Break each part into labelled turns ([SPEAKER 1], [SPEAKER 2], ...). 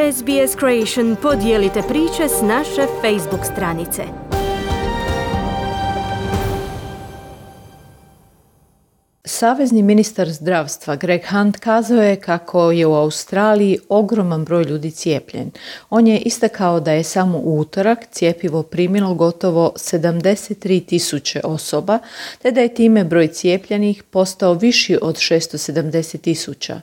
[SPEAKER 1] SBS Creation, podijelite priče s naše Facebook stranice.
[SPEAKER 2] Savezni ministar zdravstva Greg Hunt kazao je kako je u Australiji ogroman broj ljudi cijepljen. On je istakao da je samo u utorak cjepivo primilo gotovo 73.000 osoba, te da je time broj cijepljenih postao viši od 670.000.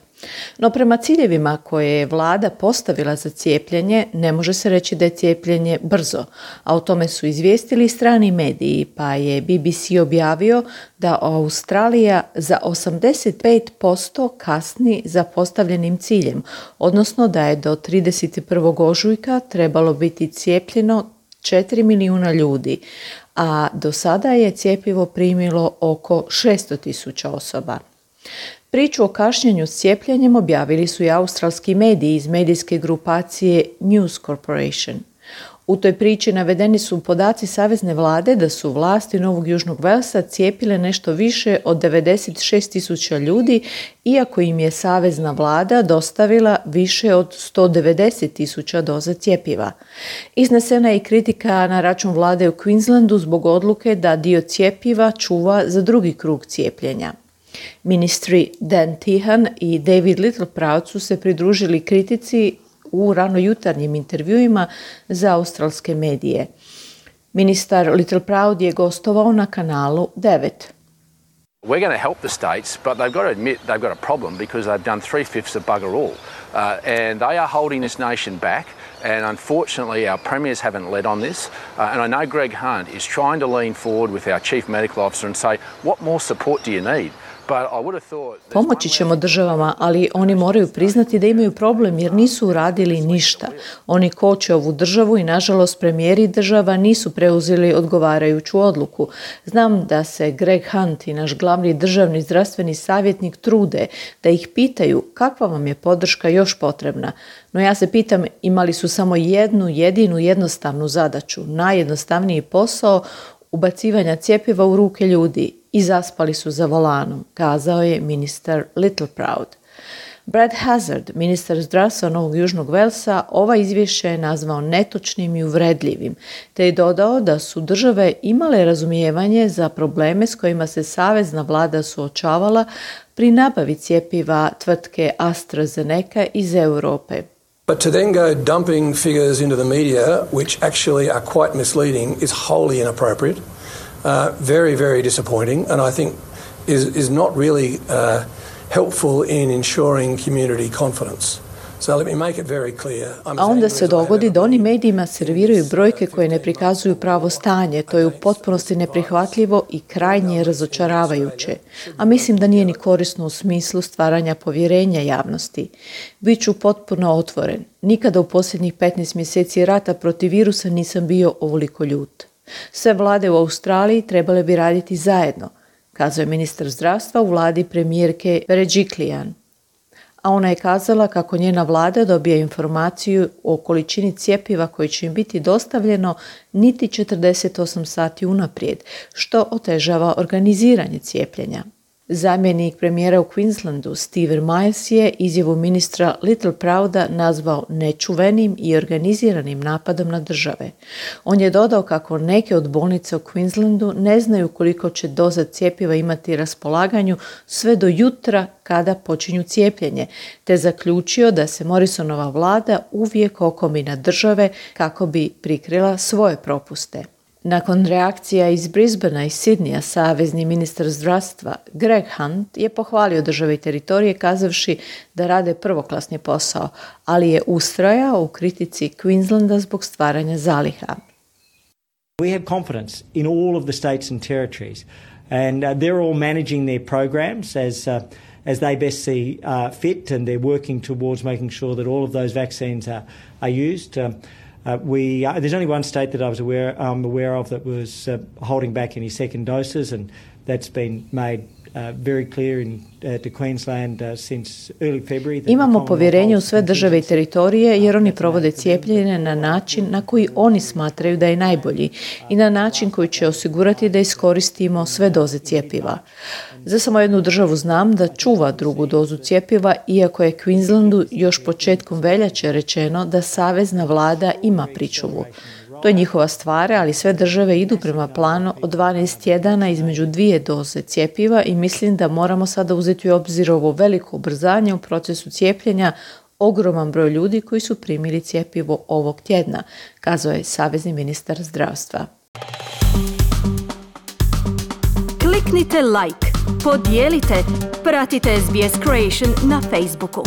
[SPEAKER 2] No prema ciljevima koje je vlada postavila za cijepljenje, ne može se reći da je cijepljenje brzo, a o tome su izvijestili strani mediji, pa je BBC objavio da Australija za 85% kasni za postavljenim ciljem, odnosno da je do 31. ožujka trebalo biti cijepljeno 4 milijuna ljudi, a do sada je cjepivo primilo oko 600.000 osoba. Priču o kašnjenju s cijepljenjem objavili su i australski mediji iz medijske grupacije News Corporation. U toj priči navedeni su podaci savezne vlade da su vlasti Novog Južnog Velsa cijepile nešto više od 96.000 ljudi, iako im je savezna vlada dostavila više od 190.000 doza cjepiva. Iznesena je i kritika na račun vlade u Queenslandu zbog odluke da dio cjepiva čuva za drugi krug cijepljenja. Ministri Dan Tehan i David Littleproud su se pridružili kritici u ranojutarnjim intervjuima za australske medije. Ministar Littleproud je gostovao na kanalu 9.
[SPEAKER 3] We're going to help the states, but they've got to admit they've got a problem because they've done 3/5 of bugger all. And they are holding this nation back. And unfortunately, our premiers haven't led on this. And I know Greg Hunt is trying to lean forward with our chief medical officer and say, what more support do you need?
[SPEAKER 2] Pomoći ćemo državama, ali oni moraju priznati da imaju problem jer nisu uradili ništa. Oni koče ovu državu i nažalost premijeri država nisu preuzeli odgovarajuću odluku. Znam da se Greg Hunt i naš glavni državni zdravstveni savjetnik trude da ih pitaju kakva vam je podrška još potrebna. No ja se pitam imali su samo jednu jedinu jednostavnu zadaću, najjednostavniji posao ubacivanja cjepiva u ruke ljudi i zaspali su za volanom, kazao je ministar Littleproud. Brad Hazzard, ministar zdravstva Novog Južnog Velsa, ova izvješće je nazvao netočnim i uvredljivim, te je dodao da su države imale razumijevanje za probleme s kojima se savezna vlada suočavala pri nabavi cjepiva tvrtke AstraZeneca iz Europe.
[SPEAKER 4] But to then go dumping figures into the media, which actually are quite misleading, is wholly inappropriate. Very, very disappointing, and I think is not really helpful in ensuring community confidence. So let me make it very clear.
[SPEAKER 2] A onda se dogodi da oni medijima serviraju brojke koje ne prikazuju pravo stanje. To je u potpunosti neprihvatljivo i krajnje razočaravajuće. A mislim da nije ni korisno u smislu stvaranja povjerenja javnosti. Biću potpuno otvoren. Nikada u posljednjih 15 mjeseci rata protiv virusa nisam bio ovoliko ljut. Sve vlade u Australiji trebale bi raditi zajedno, kazao je ministar zdravstva u vladi premijerke Berejiklian. A ona je kazala kako njena vlada dobija informaciju o količini cjepiva koji će im biti dostavljeno niti 48 sati unaprijed, što otežava organiziranje cijepljenja. Zamjenik premijera u Queenslandu Stephen Miles je izjavu ministra Littleprouda nazvao nečuvenim i organiziranim napadom na države. On je dodao kako neke od bolnica u Queenslandu ne znaju koliko će doza cjepiva imati raspolaganju sve do jutra kada počinju cijepljenje, te zaključio da se Morrisonova vlada uvijek okomi na države kako bi prikrila svoje propuste. Nakon reakcija iz Brisbanea i Sydneya, savezni ministar zdravstva Greg Hunt je pohvalio države i teritorije kazavši da rade prvoklasni posao, ali je ustrajao u kritici Queenslanda zbog stvaranja zaliha.
[SPEAKER 5] We have confidence in all of the states and territories and they're all managing their programs as they best see fit, and they're working towards making sure that all of those vaccines are used. There's only one state that I'm aware of that was holding back any second doses, and that's been made very clear to Queensland since early February.
[SPEAKER 2] Imamo povjerenje u sve države i teritorije jer oni provode cijepljenje na način na koji oni smatraju da je najbolji i na način koji će osigurati da iskoristimo sve doze cjepiva. Za samo jednu državu znam da čuva drugu dozu cjepiva, iako je Queenslandu još početkom veljače rečeno da savezna vlada ima pričuvu. To je njihova stvar, ali sve države idu prema planu od 12 tjedana između 2 doze cjepiva i mislim da moramo sada uzeti u obzir ovo veliko ubrzanje u procesu cijepljenja, ogroman broj ljudi koji su primili cjepivo ovog tjedna, kazao je savezni ministar zdravstva.
[SPEAKER 1] Kliknite like, podijelite, pratite SBS Creation na Facebooku.